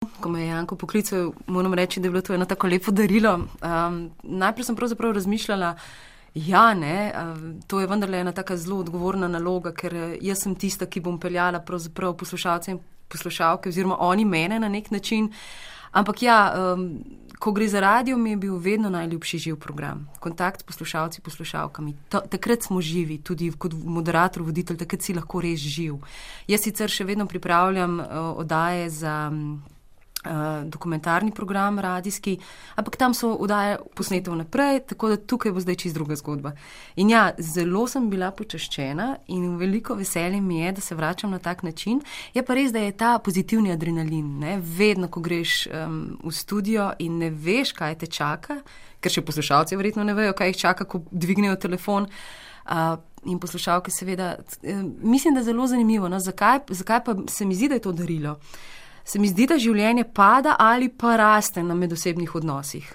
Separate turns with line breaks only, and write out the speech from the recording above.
Ko me je Janko poklical, moram reči, da je bilo to eno tako lepo darilo. Najprej sem pravzaprav razmišljala, to je vendarle ena taka zelo odgovorna naloga, ker jaz sem tista, ki bom peljala pravzaprav poslušalce in poslušalke oziroma oni mene na nek način. Ampak ko gre za radio, mi je bil vedno najljubši živ program. Kontakt s poslušalci, poslušalkami. Takrat smo živi, tudi kot moderator, voditelj, takrat si lahko res živ. Jaz sicer še vedno pripravljam oddaje za dokumentarni program radijski, ampak tam so oddaje posnete vnaprej, tako da tukaj bo zdaj čisto druga zgodba. In zelo sem bila počaščena in veliko veselje mi je, da se vračam na tak način. Je pa res, da je ta pozitivni adrenalin, ne? Vedno, ko greš v studio in ne veš, kaj te čaka, ker še poslušalci verjetno ne vejo, kaj jih čaka, ko dvignejo telefon, in poslušalke seveda. Mislim, da je zelo zanimivo, no? Zakaj pa se mi zdi, da je to darilo? Se mi zdi, da življenje pada ali pa raste na medosebnih odnosih.